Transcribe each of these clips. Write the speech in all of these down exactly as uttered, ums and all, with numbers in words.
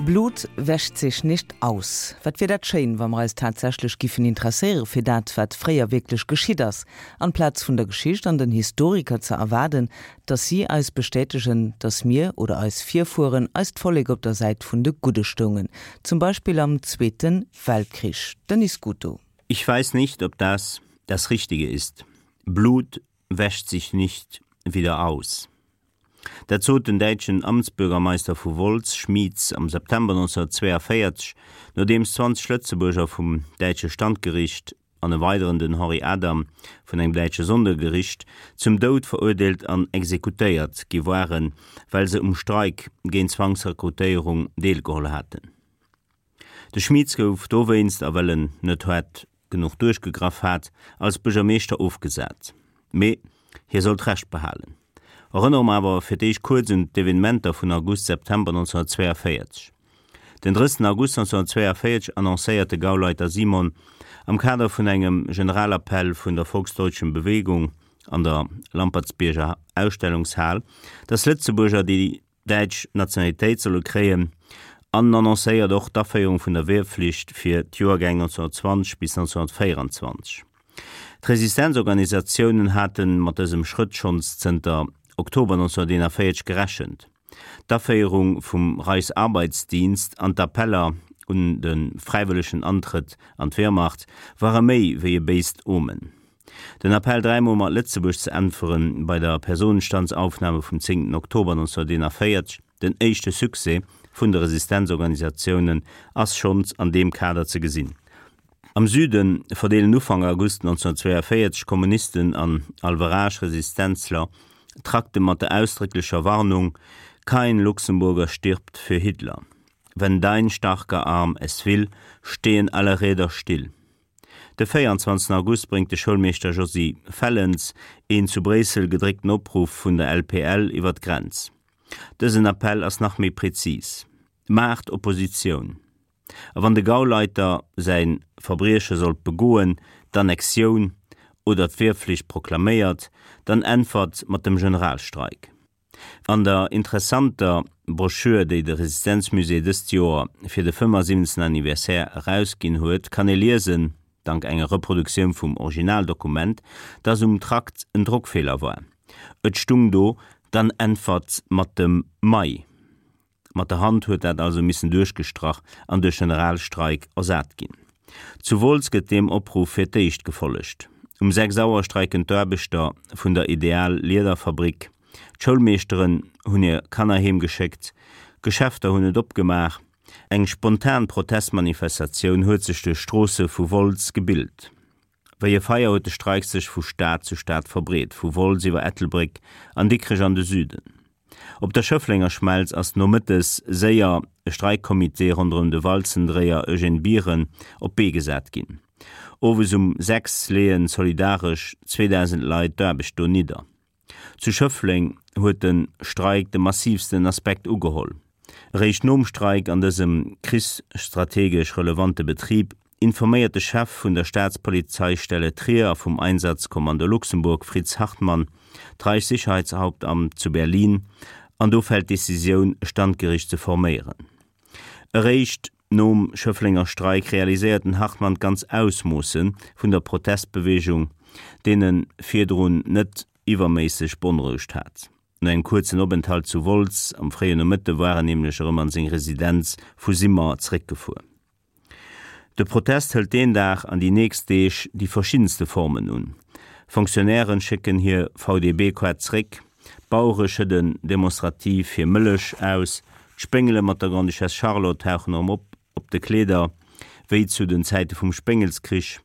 Blut wäscht sich nicht aus. Wat wier dat schéin, wa mer eis tatsächlech giffen interesséiere fir dat, wat fréier wierklech geschitt ass, amplaz vun der Geschicht an den Historiker ze erwaarden, dass si eis bestätegen, dass mir oder eis Virfueren, eist Vollek op der Säit vun de Gudde stoungen, zum Beispill am Zweeten Weltkrich. Denis Scuto. Ich weiß nicht, ob das das Richtige ist. Blut wäscht sich nicht wieder aus. Dat sot den däitschen Amtsbürgermeister vu Wolz, Schmitz, am September neunzehnhundertzweiundvierzig, nodeems zwanzeg Lëtzebuerger vum däitsche Standgericht an e weideren, den Henri Adam, vun engem däitsche Sondergericht zum Doud verurteelt an exekutéiert gi waren, well se um Streik géint d'Zwangsrekrutéierung deelgeholl haten. De Schmitz gouf dowéinst, a well en net haart genuch duerchgegraff hat, als Buergermeeschter ofgesat. Mee hie sollt Recht behalen. Erënnere mer awer fir d'éischt kuerz un d'Evenementer vun August-September neunzehnhundertzweiundvierzig. Den drëssigsten August neunzehnhundertzweiundvierzig annoncéiert de Gauleiter Simon am Kader vun engem Generalappell vun der Volksdeutschen Bewegung an der Lampertsbierger Ausstellungshal, dass Lëtzebuerger déi däitsch Nationalitéit solle kréien, an annoncéiert och d'Aféierung vun der Wehrpflicht fir d'Joergäng neunzehnhundertzwanzig bis neunzehnhundertvéierundzwanzig. D'Resistenzorganisatiounen hate mat dësem Schrëtt schonns zënter Oktober neunzehnhunderteenundvierzig gerechent. D'Aféierung vum Reichsarbeitsdienst an d'Appeller un de fräiwëllegen Antrëtt an d'Wehrmacht ware méi wéi e béist Omen. Den Appell dräimol mat Lëtzebuerg ze äntweren bei der Personenstandsaufnahme vum zéngten Oktober neunzehnhunderteenundvierzig, den éischte Succès vun de Resistenzorganisatiounen, ass schonns an deem Kader ze gesinn. Am Süde verdeelen Ufank August neunzehnhundertzweiundvierzig Kommunisten an Alverage-Resistenzler Trakte mat der ausdrécklecher Warnung, Kein Luxemburger stirbt für Hitler. Wenn dein starker Arm es will, stehen alle Räder still. De véierundzwanzigsten August bréngt de Schoulmeeschter Josy Fellens een zu Bréissel gedréckten Opruff vun der L P L iwwer d'Grenz. Dësen Appell ass nach méi präzis: Maacht Oppositioun! A wann de Gauleiter säi Verbrieche sollt begoen, d'Annexioun oder d'Wehrpflicht proklaméiert, dann äntwert mat dem Generalstreik. An der interessanter Broschür, déi de Resistenzmusée dëst Joer fir de fënnefasiwwenzegsten Anniversaire erausginn huet, kann ee liesen, dank enger Reproduktioun vum Originaldokument, dass um Trakt en Drockfeeler war. Et stung do, Dann äntwert mat dem Mai. Mat der Hand huet dat also missen duerchgestrach an duerch Generalstreik ersat ginn. Zu Wolz gëtt deem Opruff fir d'éischt gefollegt. Um sechs Auer streiken d'Aarbechter vun der Ideal Liederfabrik, d'Schoulmeeschteren hunn hir Kanner heem geschéckt, Geschäfter hunn net opgemaach. Eng spontan Protestmanifestatioun huet sech duerch d'Stroosse vu Wolz gebilt. Wéi e Feier huet de Streik sech vu Stad zu Stad verbreet, vu Wolz iwwer Ettelbréck an Dikrech an de Süden. Op der Schëfflenger Schmelz ass nomëttes séier e Streikcomité ronderëm de Walzendréier Eugène Biren op d'Bee gesat ginn. Owes um sechs leeë solidaresch zweedausend Leit d'Aarbecht do nidder. Zu Schëffleng huet de Streik de massiivsten Aspekt ugeholl. Eréischt nom Streik an dësem krichsstrategesch relevante Betrib informéiert de Chef vun der Staatspolizeistelle Trier a vum Einsatzkommando Luxemburg, Fritz Hartmann, d'Reichssicherheitshauptamt zu Berlin an do fält d'Decisioun, e Standgericht ze forméieren. Eréischt nom Schëfflenger Streik realiséiert den Hartmann d'ganz Ausmoosse vun der Protestbeweegung, deen en virdrun net iwwerméisseg beonrouegt hat. No engem kuerzen Openthalt zu Wolz am fréien Nomëtte war en nämlech erëm an seng Residenz vu Simmer zeréckgefuer. De Protest hëlt deen Dag an déi nächst Deeg déi verschiddenste Formen un. Fonctionnairen schécken hir V D B-Kaart zréck, Bauere schëdden demonstrativ hir Mëllech aus, d'Spéngele mat der Grande-Duchesse Charlotte tauchen erëm op op de Kleeder, wéi zu den Zäite vum Spéngelskrich.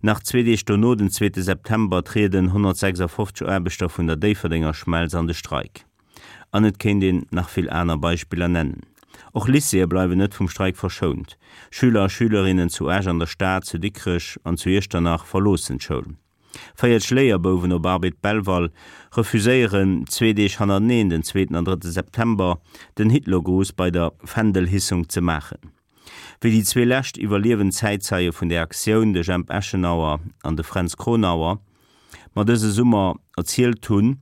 Nach zwee Deeg dono, den zweete September, trieden honnertsechsafofzeg Aarbechter vun der Déifferdenger Schmelz an de Streik. An et kéint een nach vill aner Beispiller nennen. Och Lycéeë bleiwen net vum Streik verschount. Schüler a Schülerinnen zu Esch, an der Stad, zu Dikrech an zu Iechternach verloossen d'Schoul. Véierzeg Léierbouwen op Arbed Belval refuséieren zwee Deeg hannerteneen, den zweeten an drëtte September, den Hitlergruß bei der Fändelhissung ze maachen. Wéi déi zwee lescht iwwerliewend Zäitzeie vun där Aktioun, de Jemp Eschenauer an de Fränz Kronauer, mer dëse Summer erzielt hunn,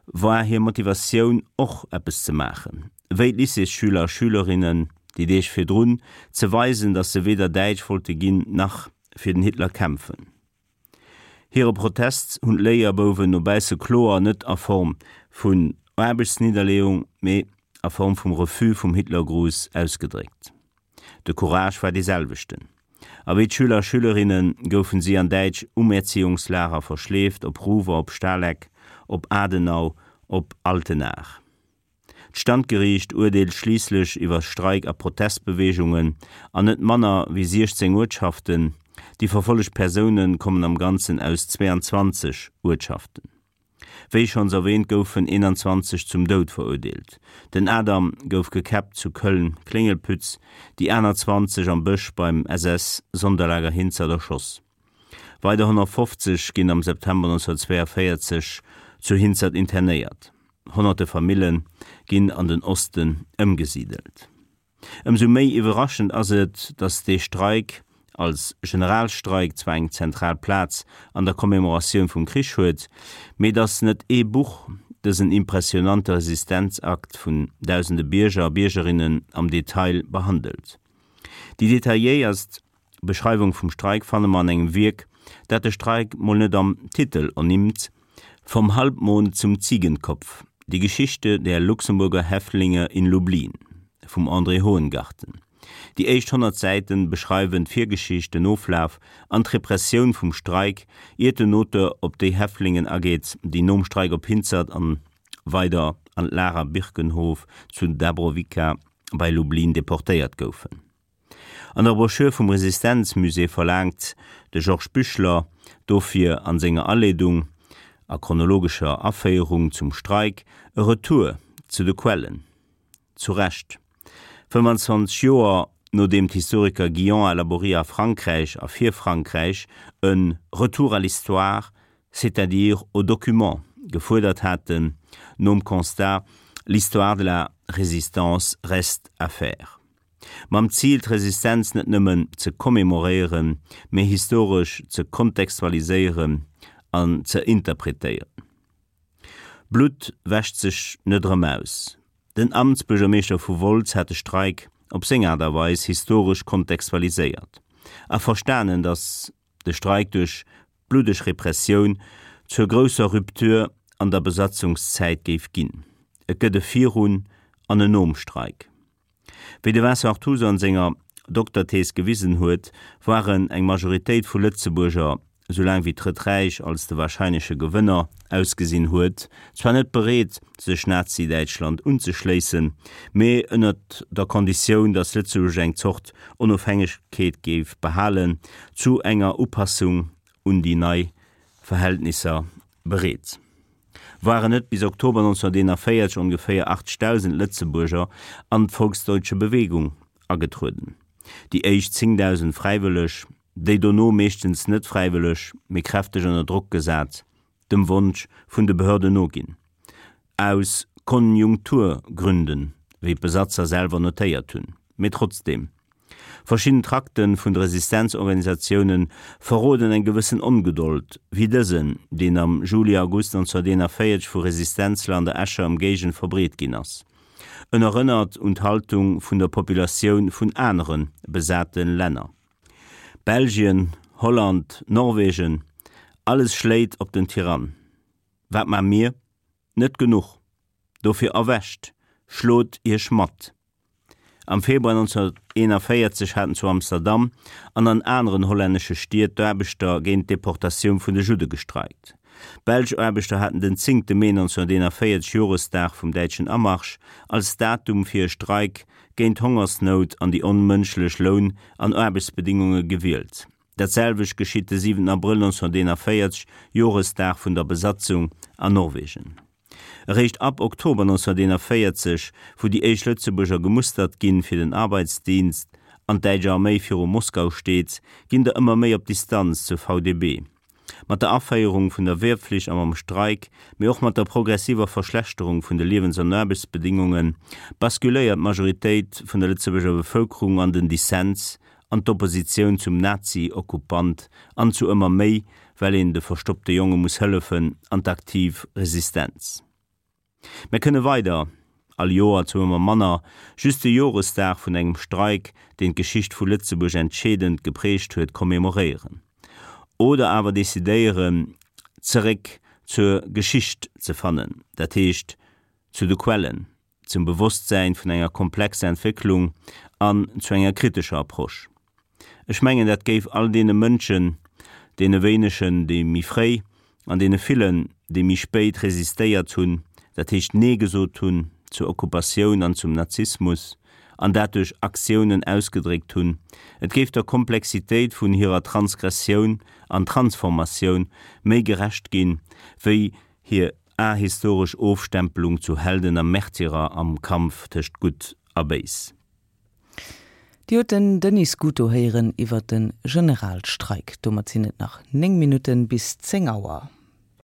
war hir Motivatioun och eppes ze maachen. Wéi d'Lycéesschüler a schülerinnen déi Deeg virdrun, ze weisen, datt se weder Däitsch wollte ginn, nach fir den Hitler kämpfen. Hire Protest hunn d'Léierbouwen no bausse kloer net a Form vun Aarbechtsnidderleeung, mee a Form vum Refus vum Hitlergruß ausgedréckt. De Courage war dee selwechten. A wéi d'Schüler a Schülerinne goufen si an däitsch Umerziehungslager verschleeft, op Ruwer, op Stahleck, op Adenau, op Altenahr. D'Standgeriicht urteelt schliisslech iwwer Streik a Protestbeweegungen an net manner wéi siechzéng Uertschaften, déi verfollegt Persoune kommen am Ganzen aus zweeanzwanzeg Uertschaften. Wéi schonns erwähnt goufen eenanzwanzeg zum Doud verurteelt. Den Adam gouf gekäppt zu Köln-Klingelpütz, déi aner zwanzeg am Bësch beim S S-Sonderlager Hinzert erschoss. Weider honnertfofzeg ginn am September neunzehnhundertzweiundvierzeg zu Hinzert internéiert. Honnerte Famille ginn an den Osten ëmgesidelt. Ëmsou méi iwwerraschend ass et, datt dee Streik als Generalstreik zwar eng zentral Plaz an der Commemoratioun vum Krich huet, mee datt net ee Buch dësen impressionante Resistenzakt vun dausende Bierger a Biergerinnen am Detail behandelt. Déi detailléierst Beschreiwung vum Streik fanne mer an engem Wierk, dat de Streik mol net am Titel ernimmt, Vom Halbmond zum Ziegenkopf, Die Geschichte der Luxemburger Häftlinge in Lublin vum André Hohengarten. Déi éischt honnert Säite beschreiwen d'Virgeschicht, den Oflaf an d'Repressioun vum Streik, iert den Auteur op déi Häftlingen ageet, déi nom Streik op Hinzert an weider an d'Lager Birkenhof zu Dabrowica bei Lublin deportéiert goufen. An der Broschür vum Resistenzmusée verlaangt de Georges Büchler dofir an senger Aleedung a chronologescher Aféierung zum Streik e Retour zu de Quellen. Zu Recht. fëmmandzwanzeg Joer nodeem d'Historiker Guillon a Laborie a Frankräich a fir Frankräich e Retour à l'histoire, c'est-à-dire aux documents gefuerdert haten, nom Constat L'histoire de la Résistance reste à faire. Mam Zil, d'Resistenz net nëmmen ze commemoréieren, mee historesch ze kontextualiséieren an ze interpretéieren. Blutt wäscht sech net erëm aus. Den Amtsbuergermeeschter vu Wolz hat de Streik op seng Aart a Weis historesch kontextualiséiert a verstanen, datt de Streik duerch bluddeg Repressioun zur grousser Rupture an der Besatzungszäit géif ginn. Et gëtt e Virun an en Nom Streik. Wéi de Vincent Artuso an senger Dokterthees gewisen huet, waren eng Majoritéit vu Lëtzebuerger, soulaang wéi d'Drëtt Räich als de warscheinleche Gewënner ausgesinn huet, zwar net bereet, sech Nazi-Däitschland unzeschléissen, mee ënnert der Konditioun, datt Lëtzebuerg eng Zort Onofhängegkeet géif behalen, zu enger Upassung un déi nei Verhältnisser bereet. Waren net bis Oktober neunzehnhunderteenundvierzeg ongeféier achtzegdausend Lëtzebuerger an d'Volksdeutsche Bewegung agetrueden? Déi éischt zéngdausend fräiwëlleg, déi dono meeschtens net fräiwëlleg, mee kräfteg ënner Drock gesat, dem Wonsch vun de Behörden noginn. Aus Konjunkturgründen, wéi d'Besatzer selwer notéiert hunn. Mee trotzdeem. Verschidden Trakten vun de Resistenzorganisatiounen verroden eng gewëssen Ongedold, wéi dësen, deen am Juli-August neunzehnhunderteenundvierzeg vu Resistenzler an der Escher Ëmgéigend verbreet ginn ass. En erënnert un d'Haltung vun der Populatioun vun anere besate Länner. Belgien, Holland, Norwegen, alles schléit op den Tyrann. Wat maa mir? Net genuch. Dofir erwächt, schlot iech mat! Am Februar neunzehnhunderteenundvierzeg haten zu Amsterdam an an aneren hollännesche Stied d'Aarbechter géint d'Deportatioun vun de Judde gestreikt. Belsch Aarbechter haten den zéngte Mee neunzehnhunderteenundvierzeg, Joresdag vum däitschen Amarsch, als Datum fir e Streik géint d'Hongersnout an déi onmënschlech Loun an Aarbechtsbedingunge gewielt. Dat selwecht geschitt de siwenten Abrëll neunzehnhunderteenundvierzeg, Joresdag vun der Besatzung an Norwegen. Eréischt ab Oktober neunzehnhunderteenundvierzeg, wou déi éischt Lëtzebuerger gemustert ginn fir den Arbeitsdienst an d'däitsch Arméi viru Moskau steet, ginn der ëmmer méi op Distanz zur V D B. Mat der Aféierung vun der Wehrpflicht a mam Streik, mee och mat der progressiver Verschlechterung vun de Liewens an Aarbechtsbedingunge basculéiert d'Majoritéit vun der Lëtzebuerger Bevëlkerung an den Dissens, an d'Oppositioun zum Nazi-Okkupant an zu ëmmer méi, well een de verstoppte Jonge muss hëllefen, an d'aktiv Resistenz. Mir kënne weider all Joer zu ëmmer manner, just de Joresdag vun engem Streik, deen d'Geschicht vu Lëtzebuerg entscheedend geprägt huet, kommemoréieren. Oder awer decidéieren, zeréck zur Geschicht ze fannen, dat heescht zu de Quellen, zum Bewosstsäin vun enger komplexer Entwécklung an zu enger kritescher Approche. Ech mengen, dat géif all deene Mënschen, deene wéinegen, déi méi fréi, an deene villen, déi méi spéit resistéiert hunn, dat heescht Nee gesot hunn zur Okkupatioun an zum Nazismus, an dat duerch Aktiounen ausgedréckt hunn, et géif der Komplexitéit vun hirer Transgressioun an Transformatioun méi gerecht ginn, wéi hir ahistoresch Ofstempelung zu Helden a Märtyrer am Kampf tëscht Gutt a Béis. Dir hutt den Denis Scuto héieren iwwer de Generalstreik. Domat sinn et nach néng Minutten bis zéng Auer.